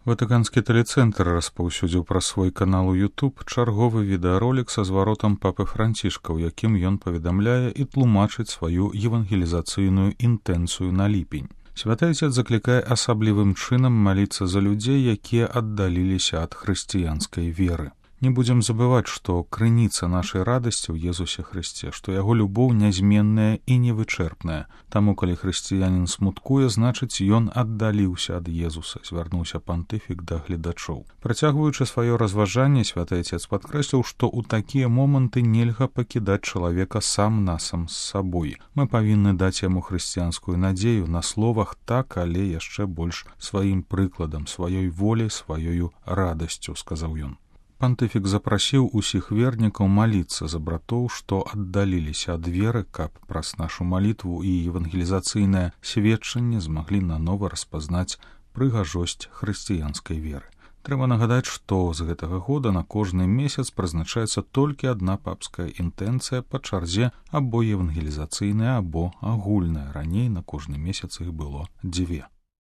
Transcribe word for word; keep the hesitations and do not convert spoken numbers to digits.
Ватыканскі тэлецэнтр распаўсюдзіў праз свой канал у YouTube чарговы відэаролік са зваротам папы Францішка, у якім ён паведамляе і тлумачыць сваю евангелізацыйную інтэнцыю на ліпень. Святы Отец заклікае асаблівым чынам маліцца за людзей, якія аддаліліся ад хрысціянскай веры. Не будзем забываць, што крыніца нашай радасці ў Езусе Хрысце, што яго любоў нязменная і невычэрпная. Таму, калі хрысціянін смуткуе, значыць, ён аддаліўся ад Езуса, звярнуўся пантыфік да гледачоў. Працягваючы сваё разважанне, Святы Отец падкрэсліў, што ў такія моманты нельга пакідаць чалавека сам-насам з сабой. Мы павінны даць яму хрысціянскую надзею на словах так, але яшчэ больш сваім прыкладам, сваёй волей, сваёю радасцю, сказаў ён. Пантыфік запрасіў усіх вернікаў маліцца за братоў, што аддаліліся ад веры, каб праз нашу малітву і евангелізацыйнае сведчанне змаглі нанова распазнаць прыгажосць хрысціянскай веры. Трэба нагадаць, што з гэтага года на кожны месяц прызначаецца толькі адна папская інтэнцыя па чарзе або евангелізацыйная, або агульная. Раней на кожны месяц іх было дзве.